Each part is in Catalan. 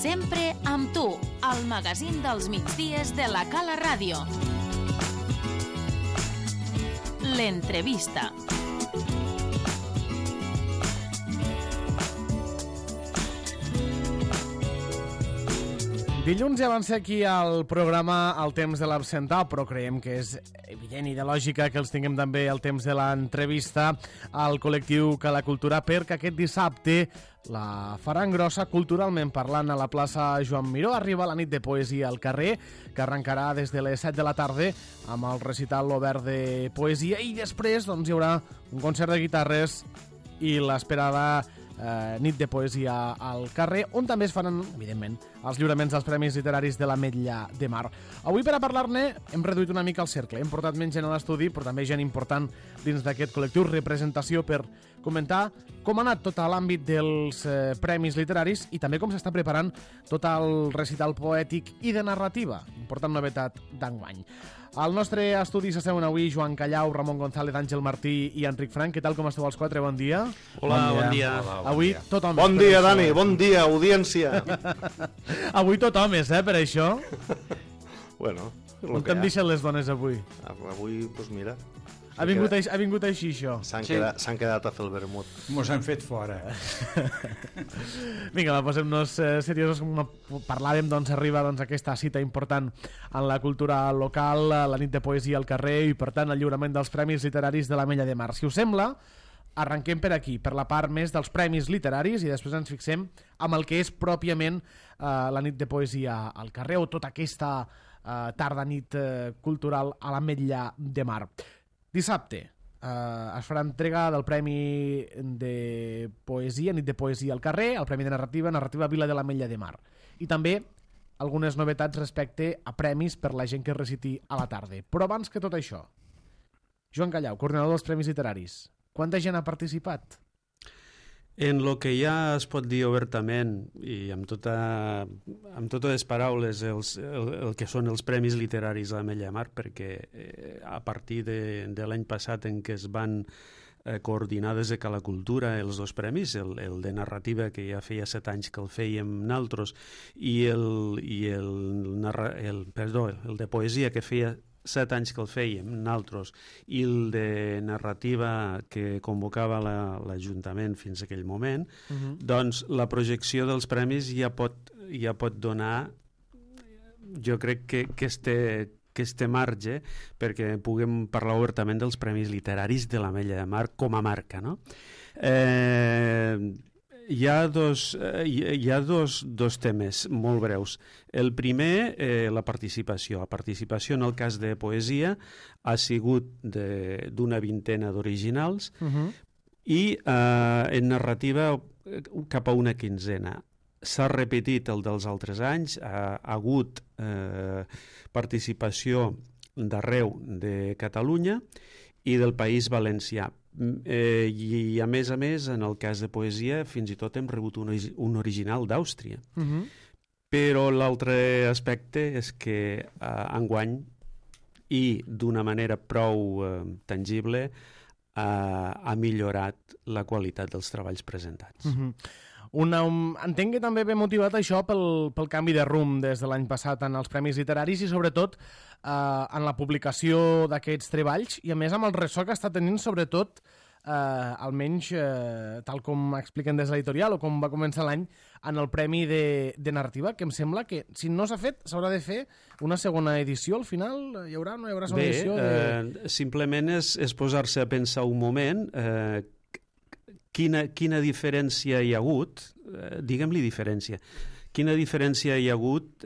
Sempre amb tu, al magazín dels migdies de la Cala Ràdio. L'entrevista. Dilluns ja van ser aquí al programa El temps de l'absentar, però creiem que és evident i de lògica que els tinguem també el temps de l'entrevista al col·lectiu Cala Cultura, perquè aquest dissabte la faran grossa culturalment parlant a la plaça Joan Miró. Arriba la nit de poesia al carrer, que arrencarà des de les 7 de la tarda amb el recital obert de poesia, i després hi haurà un concert de guitarres i l'esperada nit de poesia al carrer, on també es faran, evidentment, els lliuraments dels Premis Literaris de l'Ametlla de Mar. Avui, per a parlar-ne, hem reduït una mica el cercle. Hem portat menys gent a l'estudi, però també gent important dins d'aquest col·lectiu, representació, per comentar com ha anat tot l'àmbit dels Premis Literaris i també com s'està preparant tot el recital poètic i de narrativa. Important novetat d'enguany. Al nostre estudi s'asseuen avui Joan Callau, Ramon González, Àngel Martí i Enric Frank. Què tal, com esteu els quatre? Bon dia. Hola, bon dia. Avui tothom... Bon dia, Dani, bon dia, audiència. Avui tothom és, per això. Bueno, on t'han deixat les dones avui? Avui, doncs mira... Ha vingut així, això. S'han quedat a fer el vermut. Mos han fet fora. Vinga, posem-nos seriosos. Com parlàvem, arriba aquesta cita important en la cultura local, la nit de poesia al carrer i, per tant, el lliurament dels Premis Literaris de l'Ametlla de Mar. Si us sembla, arrenquem per aquí, per la part més dels Premis Literaris, i després ens fixem amb el que és pròpiament la nit de poesia al carrer o tota aquesta tarda-nit cultural a l'Ametlla de Mar. Dissabte es farà entrega del Premi de Poesia, nit de poesia al carrer, el Premi de Narrativa Vila de l'Ametlla de Mar. I també algunes novetats respecte a premis per la gent que reciti a la tarda. Però abans que tot això, Joan Callau, coordinador dels Premis Literaris, quanta gent ha participat? En lo que ja es pot dir obertament i amb totes les paraules el que són els Premis Literaris a l'Ametlla de Mar, perquè a partir de l'any passat en què es van coordinar des de Cala Cultura els dos premis, el de narrativa, que ja feia 7 anys que el fèiem naltros, i el de poesia, que feia 7 anys que el fèiem naltros, i el de narrativa que convocava l'Ajuntament fins a aquell moment, doncs la projecció dels premis ja pot donar, jo crec que este marge perquè puguem parlar obertament dels Premis Literaris de l'Ametlla de Mar com a marca, no? Hi ha dos temes molt breus. El primer, la participació. La participació en el cas de poesia ha sigut d'una vintena d'originals i en narrativa cap a una quinzena. S'ha repetit el dels altres anys, ha hagut participació d'arreu de Catalunya i del País Valencià. I a més, en el cas de poesia, fins i tot hem rebut un original d'Àustria. Però l'altre aspecte és que enguany, i d'una manera prou tangible, ha millorat la qualitat dels treballs presentats. Entenc que també ve motivat això pel canvi de rumb des de l'any passat en els Premis Literaris i sobretot en la publicació d'aquests treballs i a més amb el ressò que està tenint sobretot almenys tal com expliquen des de l'editorial o com va començar l'any en el Premi de Narrativa, que em sembla que si no s'ha fet s'haurà de fer una segona edició al final. Hi haurà o no hi haurà segona edició? Simplement és posar-se a pensar un moment quina diferència hi ha hagut, diguem-li diferència, quina diferència hi ha hagut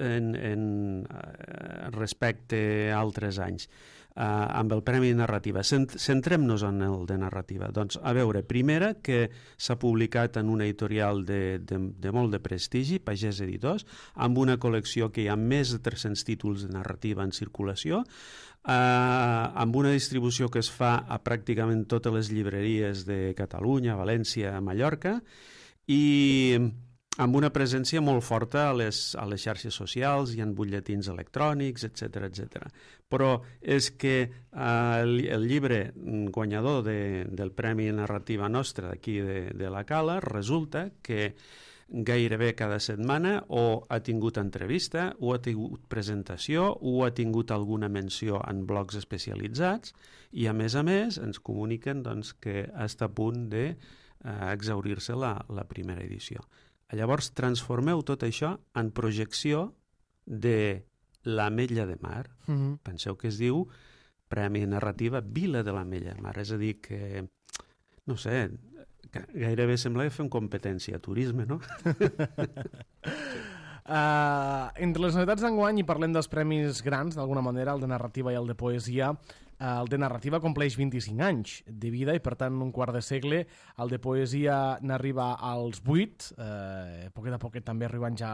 respecte a altres anys amb el Premi de Narrativa. Centrem-nos en el de Narrativa. Doncs, a veure, primera, que s'ha publicat en una editorial de molt de prestigi, Pagès Editors, amb una col·lecció que hi ha més de 300 títols de narrativa en circulació, amb una distribució que es fa a pràcticament totes les llibreries de Catalunya, València, Mallorca, i amb una presència molt forta a les xarxes socials, hi ha butlletins electrònics, etc. Però és que el llibre guanyador del Premi Narrativa nostre d'aquí de la Cala resulta que gairebé cada setmana, o ha tingut entrevista, o ha tingut presentació, o ha tingut alguna menció en blogs especialitzats, i a més ens comuniquen doncs, que està a punt d'exaurir-se la primera edició. Llavors transformeu tot això en projecció de l'Ametlla de Mar. Penseu que es diu Premi Narrativa Vila de l'Ametlla de Mar, és a dir que, no sé, gairebé sembla que fem competència a turisme, no? Entre les novetats d'enguany, i parlem dels premis grans, d'alguna manera, el de narrativa i el de poesia, el de narrativa compleix 25 anys de vida i, per tant, un quart de segle. El de poesia n'arriba als 8, poquet a poquet també arribant ja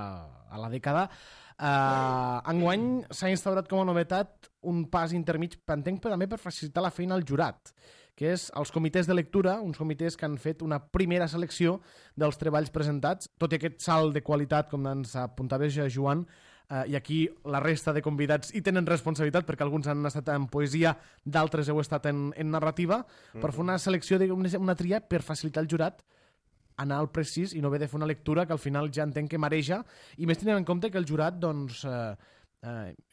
a la dècada. Enguany s'ha instaurat com a novetat un pas intermig, entenc, però també per facilitar la feina al jurat, que és els comitès de lectura, uns comitès que han fet una primera selecció dels treballs presentats, tot i aquest salt de qualitat, com ens apuntava Joan, i aquí la resta de convidats hi tenen responsabilitat, perquè alguns han estat en poesia, d'altres heu estat en narrativa, per fer una selecció, una tria per facilitar el jurat anar al precís i no haver de fer una lectura que al final ja entenc que mareja, i més tenint en compte que el jurat doncs,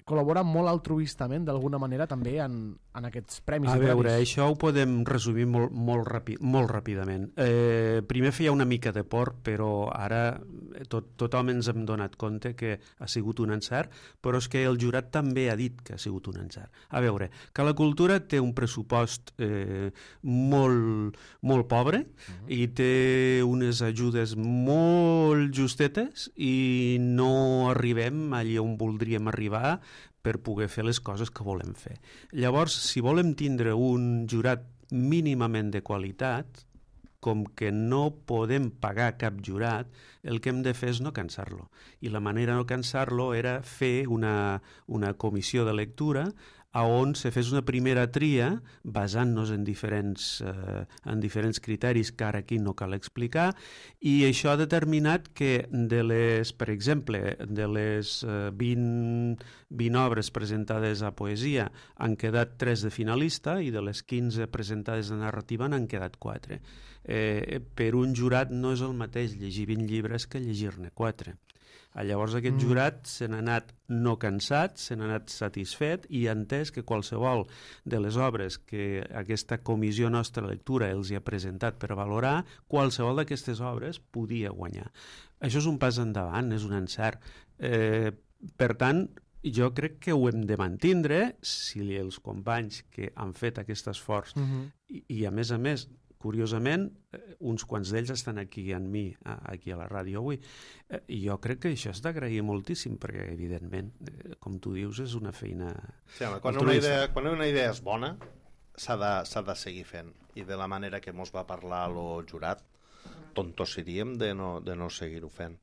col·labora molt altruistament d'alguna manera també en aquests premis. A veure, això ho podem resumir molt ràpidament. Primer feia una mica de por, però ara tothom ens hem donat compte que ha sigut un encert, però és que el jurat també ha dit que ha sigut un encert. A veure, que la cultura té un pressupost molt pobre i té unes ajudes molt justetes i no arribem allà on voldríem arribar per poder fer les coses que volem fer. Llavors, si volem tindre un jurat mínimament de qualitat, com que no podem pagar cap jurat, el que hem de fer és no cansar-lo. I la manera de no cansar-lo era fer una comissió de lectura on se fes una primera tria basant-nos en diferents criteris que ara aquí no cal explicar, i això ha determinat que per exemple, de les 20 obres presentades a poesia han quedat 3 de finalista i de les 15 presentades de narrativa n'han quedat 4. Per un jurat no és el mateix llegir 20 llibres que llegir-ne 4. Llavors aquest jurat se n'ha anat no cansat, se n'ha anat satisfet i ha entès que qualsevol de les obres que aquesta comissió nostra de lectura els hi ha presentat per valorar, qualsevol d'aquestes obres podia guanyar. Això és un pas endavant, és un encert. Per tant, jo crec que ho hem de mantindre si els companys que han fet aquest esforç i a més, curiosament, uns quants d'ells estan aquí amb mi, aquí a la ràdio avui. I jo crec que això és d'agrair moltíssim, perquè, evidentment, com tu dius, és una feina... Sí, home, quan una idea és bona, s'ha de seguir fent. I de la manera que mos va parlar el jurat, tontos seríem de no seguir-ho fent.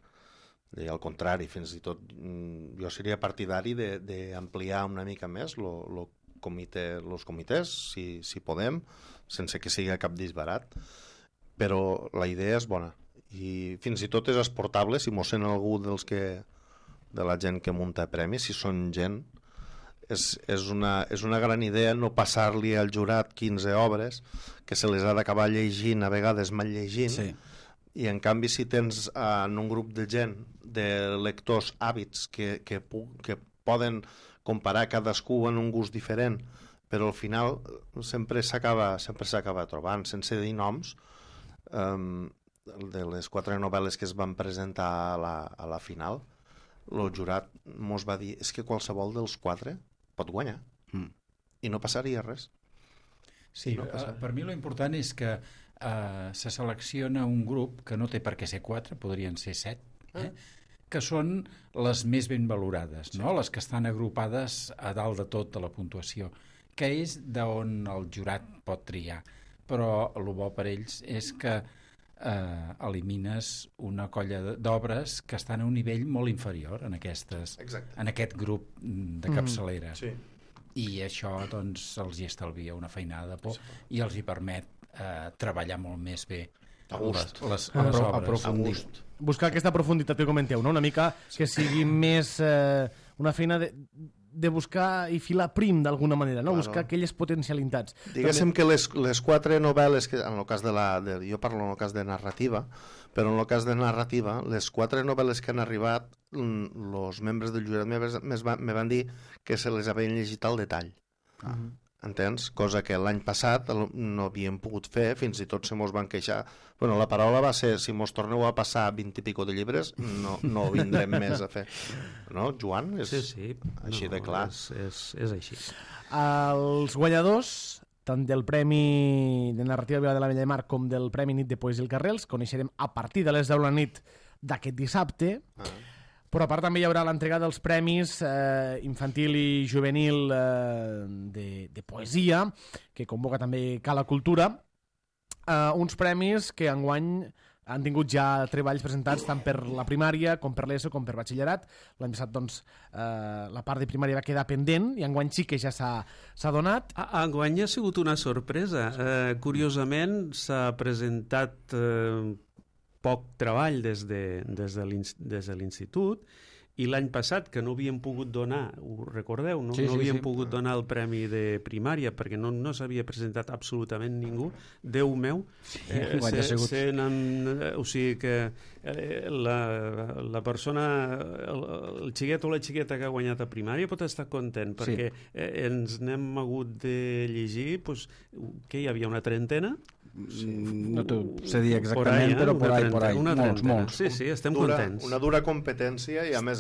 I al contrari, fins i tot, jo seria partidari d'ampliar una mica més els comitès, si podem, sense que sigui cap disbarat, però la idea és bona i fins i tot és exportable si mos sent algú de la gent que munta premis, si són gent, és una gran idea no passar-li al jurat 15 obres que se les ha d'acabar llegint, a vegades mal llegint, sí. I en canvi si tens en un grup de gent, de lectors hàbits que poden comparar cadascú en un gust diferent, però al final sempre s'acaba trobant, sense dir noms, de les 4 novel·les que es van presentar a la final, el jurat mos va dir és que qualsevol dels 4 pot guanyar i no passaria res. Sí, per mi l'important és que se selecciona un grup que no té per què ser 4, podrien ser 7, que són les més ben valorades, no? Les que estan agrupades a dalt de tot de la puntuació, que és d'on el jurat pot triar. Però el bo per ells és que elimines una colla d'obres que estan a un nivell molt inferior en aquest grup de capçalera. Sí. I això doncs, els hi estalvia una feinada de por i els hi permet treballar molt més bé les obres. Buscar aquesta profunditat que comenteu, no? Una mica que sigui més una feina de buscar i filar prim d'alguna manera, no? Buscar aquelles potencialitats. Diguéssim que les 4 novel·les, que en el cas jo parlo en el cas de narrativa, però en el cas de narrativa, les 4 novel·les que han arribat, els membres del jurat me van dir que se les havien llegit al detall. Entens? Cosa que l'any passat no havíem pogut fer, fins i tot se mos van queixar. Bueno, la paraula va ser, si mos torneu a passar 20 i pico de llibres, no vindrem més a fer. No, Joan? Sí. Així de clar. És així. Els guanyadors, tant del Premi de Narrativa Vila de la Bella de Mar com del Premi Nit de Poesia al Carrer, els coneixerem a partir de les 10 de la nit d'aquest dissabte. Però a part també hi haurà l'entrega dels premis infantil i juvenil de poesia, que convoca també Cala Cultura, uns premis que enguany han tingut ja treballs presentats tant per la primària com per l'ESO com per batxillerat. L'any passat doncs, la part de primària va quedar pendent i enguany sí que ja s'ha donat. Enguany ha sigut una sorpresa. Curiosament s'ha presentat poc treball des de l'institut, i l'any passat, que no havíem pogut donar, ho recordeu? No havíem pogut donar el premi de primària perquè no s'havia presentat absolutament ningú. Déu meu, o sigui que la persona, el xiquet o la xiqueta que ha guanyat a primària pot estar content perquè ens n'hem hagut de llegir, que hi havia una trentena. No t'ho sé dir exactament, però por ahí. Molts. Sí, estem contents. Una dura competència i a més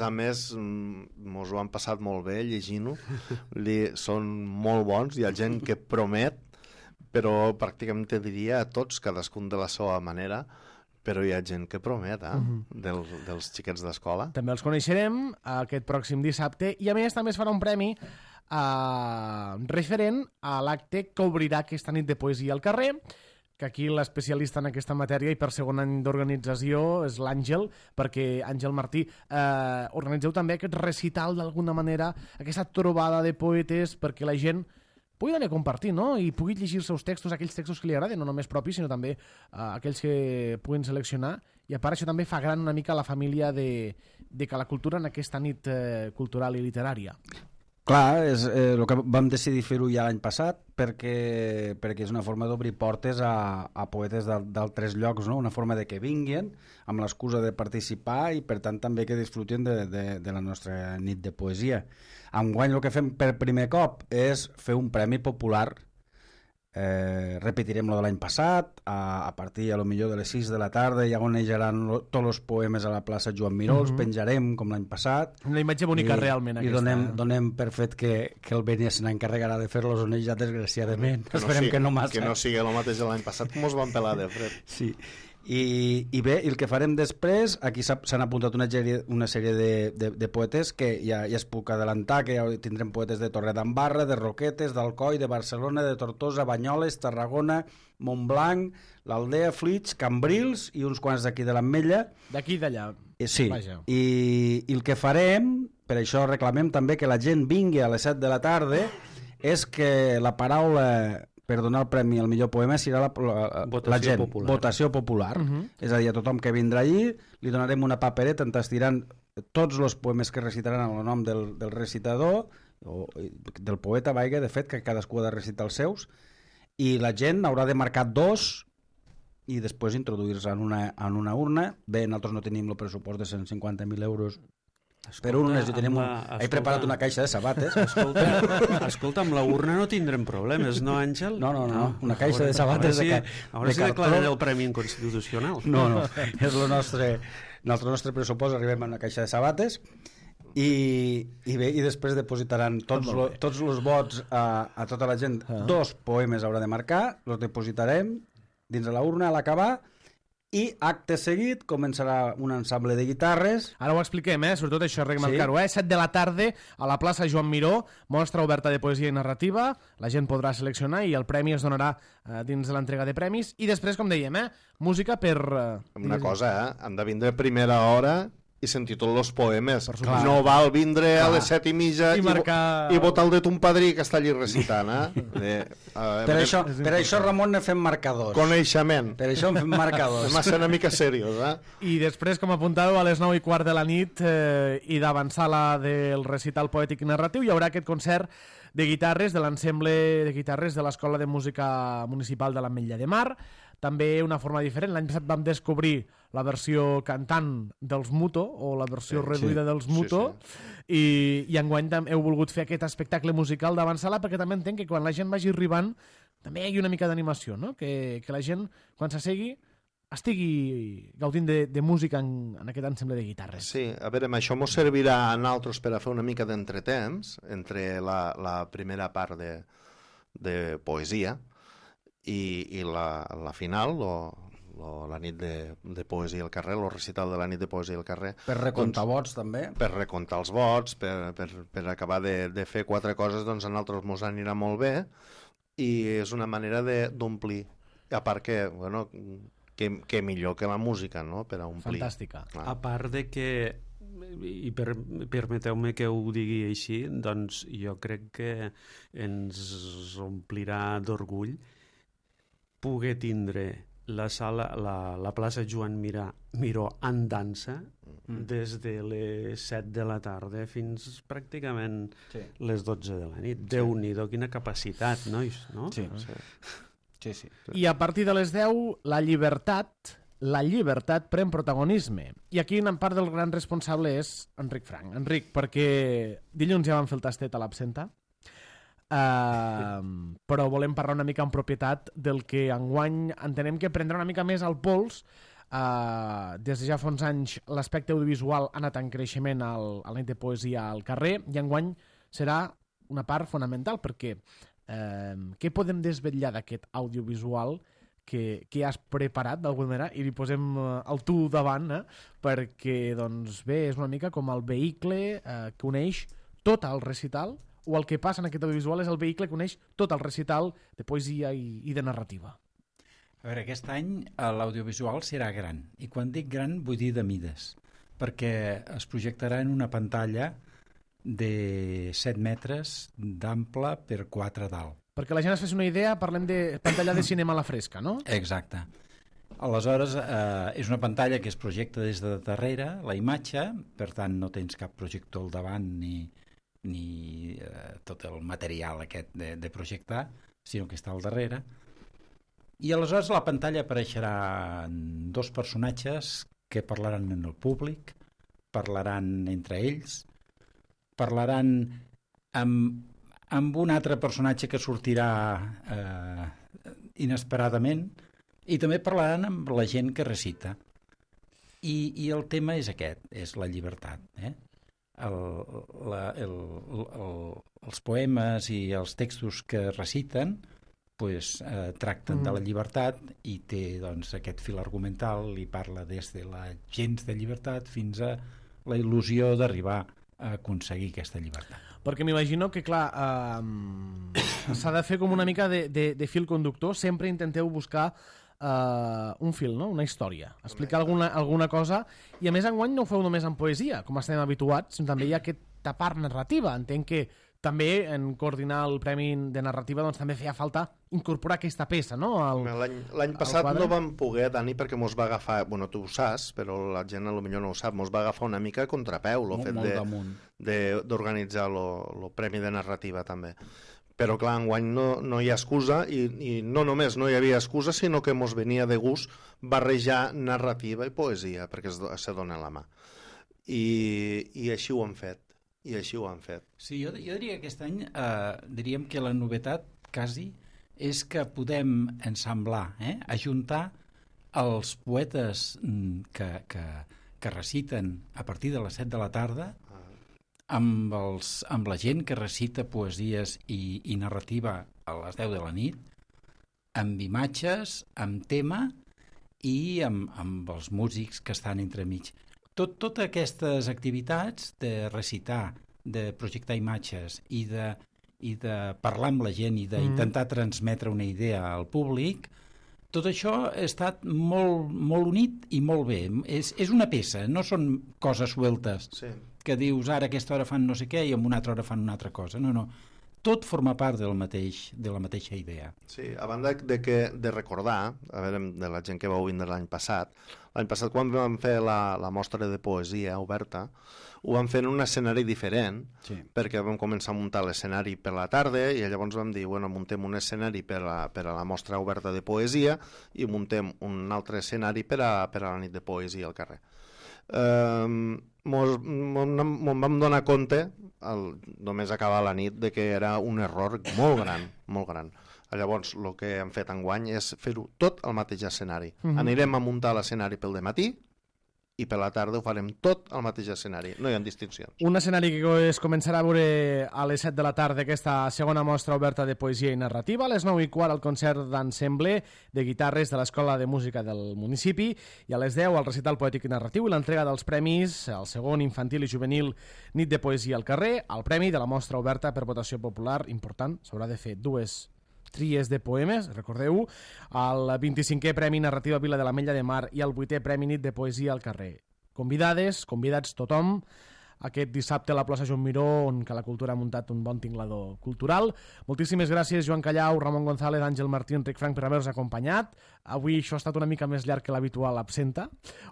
mos ho han passat molt bé llegint-ho. Són molt bons, hi ha gent que promet, però pràcticament te diria a tots, cadascun de la seva manera, però hi ha gent que promet, dels xiquets d'escola. També els coneixerem aquest pròxim dissabte i a més també es farà un premi referent a l'acte que obrirà aquesta nit de poesia al carrer, que aquí l'especialista en aquesta matèria i per segon any d'organització és l'Àngel, perquè Àngel Martí organitzeu també aquest recital d'alguna manera, aquesta trobada de poetes perquè la gent pugui anar a compartir, no? I pugui llegir els seus textos, aquells textos que li agraden, no només propis, sinó també aquells que puguin seleccionar, i a part això també fa gran una mica la família de Cala Cultura en aquesta nit cultural i literària. Clar, és el que vam decidir fer-ho ja l'any passat perquè és una forma d'obrir portes a poetes d'altres llocs, no? Una forma de que vinguin amb l'excusa de participar i per tant també que disfrutin de la nostra nit de poesia. Enguany el que fem per primer cop és fer un premi popular. Repetirem lo de l'any passat, a partir a lo millor de les 6 de la tarda ja onejaran tots els poemes a la plaça Joan Miró, els penjarem com l'any passat. Una imatge bonica realment aquesta. I donem per fet que el Beni se n'encarregarà de fer-los onejar desgraciadament. Esperem que no massa. Que no sigui el mateix l'any passat com us van pelar de fred. Sí. I bé, el que farem després, aquí s'han apuntat una sèrie de poetes que ja es puc adelantar, que ja tindrem poetes de Torredembarra, de Roquetes, d'Alcoi, de Barcelona, de Tortosa, Banyoles, Tarragona, Montblanc, l'Aldea, Flix, Cambrils i uns quants d'aquí de l'Ametlla. D'aquí i d'allà. Sí, i el que farem, per això reclamem també que la gent vingui a les 7 de la tarda, és que la paraula per donar el premi al millor poema serà la gent, votació popular. És a dir, a tothom que vindrà allí li donarem una papereta on estaran tots els poemes que recitaran amb el nom del recitador o del poeta, de fet, que cadascú ha de recitar els seus, i la gent haurà de marcar 2 i després introduir-se en una urna. Bé, nosaltres no tenim el pressupost de 150.000 euros per urnes, i he preparat una caixa de sabates. Escolta, amb la urna no tindrem problemes, no, Àngel? No, una caixa de sabates de cartró. Ara sí declaren el premi inconstitucional. No, és el nostre pressupost, arribem a una caixa de sabates i bé, i després depositaran tots els vots a tota la gent. 2 poemes haurà de marcar, els depositarem dins de la urna a l'acabar. I acte seguit començarà un ensemble de guitarres. Ara ho expliquem, sobretot això, remarcar-ho. 7 de la tarda a la plaça Joan Miró, mostra oberta de poesia i narrativa, la gent podrà seleccionar i el premi es donarà dins de l'entrega de premis. I després, com dèiem, música per... Una cosa, han de vindre a primera hora i sentir tots els poemes. supuesto. No val vindre a les 7:30 I marcar- i votar el de ton padrí que està allí recitant. Per això, Ramon, ne fem marcadors. Coneixement. Per això en fem marcadors. Hem de ser una mica seriós, I després, com apuntàveu, a les 9:15 de la nit i d'avançar del recital poètic i narratiu, hi haurà aquest concert de guitarres de l'ensemble de guitarres de l'Escola de Música Municipal de l'Ametlla de Mar. També una forma diferent. L'any passat vam descobrir la versió cantant dels Muto, o la versió reduïda dels Muto, i enguany heu volgut fer aquest espectacle musical d'avançar-la, perquè també entenc que quan la gent vagi arribant també hi hagi una mica d'animació, no? Que la gent, quan s'assegui, estigui gaudint de música en aquest ensemble de guitarres. Sí, a veure, això ens servirà a nosaltres per a fer una mica d'entretemps entre la primera part de poesia i la final, la nit de poesia al carrer, el recital de la nit de poesia al carrer. Per recomptar vots, també. Per recomptar els vots, per acabar de fer 4 coses, doncs a nosaltres ens anirà molt bé i és una manera d'omplir. A part que, bueno, que millor que la música, no?, per a omplir. Fantàstica. A part de que, i permeteu-me que ho digui així, doncs jo crec que ens omplirà d'orgull poder tindre la plaça Joan Miró en dansa des de les 7 de la tarda fins pràcticament les 12 de la nit. Déu-n'hi-do, quina capacitat, nois, no? Sí. I a partir de les 10, la llibertat pren protagonisme. I aquí en part del gran responsable és Enric Frank. Enric, perquè dilluns ja vam fer el tastet a l'Absenta, però volem parlar una mica en propietat del que enguany entenem que prendrà una mica més al pols. Des de ja fa uns anys l'aspecte audiovisual ha anat en creixement a la nit de poesia al carrer i enguany serà una part fonamental perquè què podem desvetllar d'aquest audiovisual que has preparat d'alguna manera i li posem el tu davant perquè doncs bé, és una mica com el vehicle que uneix tot el recital, o el que passa en aquest audiovisual és el vehicle que uneix tot el recital de poesia i de narrativa. A veure, aquest any l'audiovisual serà gran, i quan dic gran vull dir de mides, perquè es projectarà en una pantalla de 7 metres d'ample per 4 d'alt. Perquè la gent es fes una idea, parlem de pantalla de cinema a la fresca, no? Exacte. Aleshores, és una pantalla que es projecta des de darrere, la imatge, per tant no tens cap projector al davant ni tot el material aquest de projectar, sinó que està al darrere. I aleshores a la pantalla apareixeran 2 personatges que parlaran en el públic, parlaran entre ells, parlaran amb un altre personatge que sortirà inesperadament i també parlaran amb la gent que recita. I el tema és aquest, és la llibertat. Els poemes i els textos que reciten tracten de la llibertat i té doncs, aquest fil argumental i parla des de la gens de llibertat fins a la il·lusió d'arribar a aconseguir aquesta llibertat. Perquè m'imagino que, clar, s'ha de fer com una mica de fil conductor. Sempre intenteu buscar un fil, no? Una història. Explicar alguna cosa. I a més, enguany no ho feu només en poesia, com estem habituats, sinó també hi ha aquesta part narrativa. Entenc que també en coordinar el Premi de Narrativa doncs també feia falta incorporar aquesta peça, no? L'any passat no vam poder, Dani, perquè mos va agafar, bueno, tu ho saps, però la gent potser no ho sap, mos va agafar una mica a contrapeu el fet d'organitzar el Premi de Narrativa també. Però clar, enguany no hi ha excusa i no només no hi havia excusa, sinó que mos venia de gust barrejar narrativa i poesia, perquè se dona la mà. I així ho han fet. Sí, jo diria que aquest any diríem que la novetat quasi és que podem ensamblar, ajuntar els poetes que reciten a partir de les 7 de la tarda amb la gent que recita poesies i narrativa a les 10 de la nit, amb imatges, amb tema i amb els músics que estan entremig. Totes aquestes activitats de recitar, de projectar imatges i de parlar amb la gent i d'intentar transmetre una idea al públic tot això ha estat molt unit i molt bé. És una peça, no són coses sueltes, que dius ara a aquesta hora fan no sé què i en una altra hora fan una altra cosa. No. Tot forma part de la mateixa idea. Sí, a banda de recordar, a veure, de la gent que vau vindre l'any passat quan vam fer la mostra de poesia oberta, ho vam fer en un escenari diferent, perquè vam començar a muntar l'escenari per la tarda i llavors vam dir, muntem un escenari per a la mostra oberta de poesia i muntem un altre escenari per a la nit de poesia al carrer. Me'n vam donar compte només acabar la nit de que era un error molt gran. Llavors el que hem fet enguany és fer-ho tot al mateix escenari. Anirem a muntar l'escenari pel dematí i per la tarda ho farem tot al mateix escenari, no hi ha distincions. Un escenari que es començarà a veure a les 7 de la tarda, aquesta segona mostra oberta de poesia i narrativa, a les 9:15 el concert d'ensemble de guitarres de l'Escola de Música del municipi i a les 10 el recital poètic i narratiu i l'entrega dels premis al segon infantil i juvenil Nit de Poesia al carrer, el premi de la mostra oberta per votació popular, important, s'haurà de fer 2 tries de poemes, recordeu, el 25è Premi Narrativa Vila de l'Ametlla de Mar i el 8è Premi Nit de Poesia al carrer. Convidats tothom, aquest dissabte a la plaça Joan Miró, on que la cultura ha muntat un bon tinglador cultural. Moltíssimes gràcies, Joan Callau, Ramon González, Àngel Martí, Enric Frank, per haver-nos acompanyat. Avui això ha estat una mica més llarg que l'habitual absenta,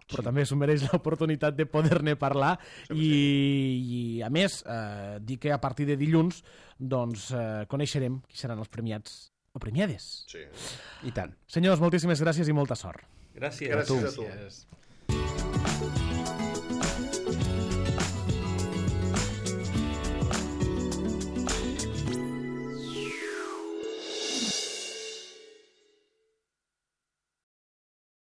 però també s'ho mereix l'oportunitat de poder-ne parlar i a més, dir que a partir de dilluns coneixerem qui seran els premiats o premiades. Sí. I tant. Senyors, moltíssimes gràcies i molta sort. Gràcies. Gràcies a tu.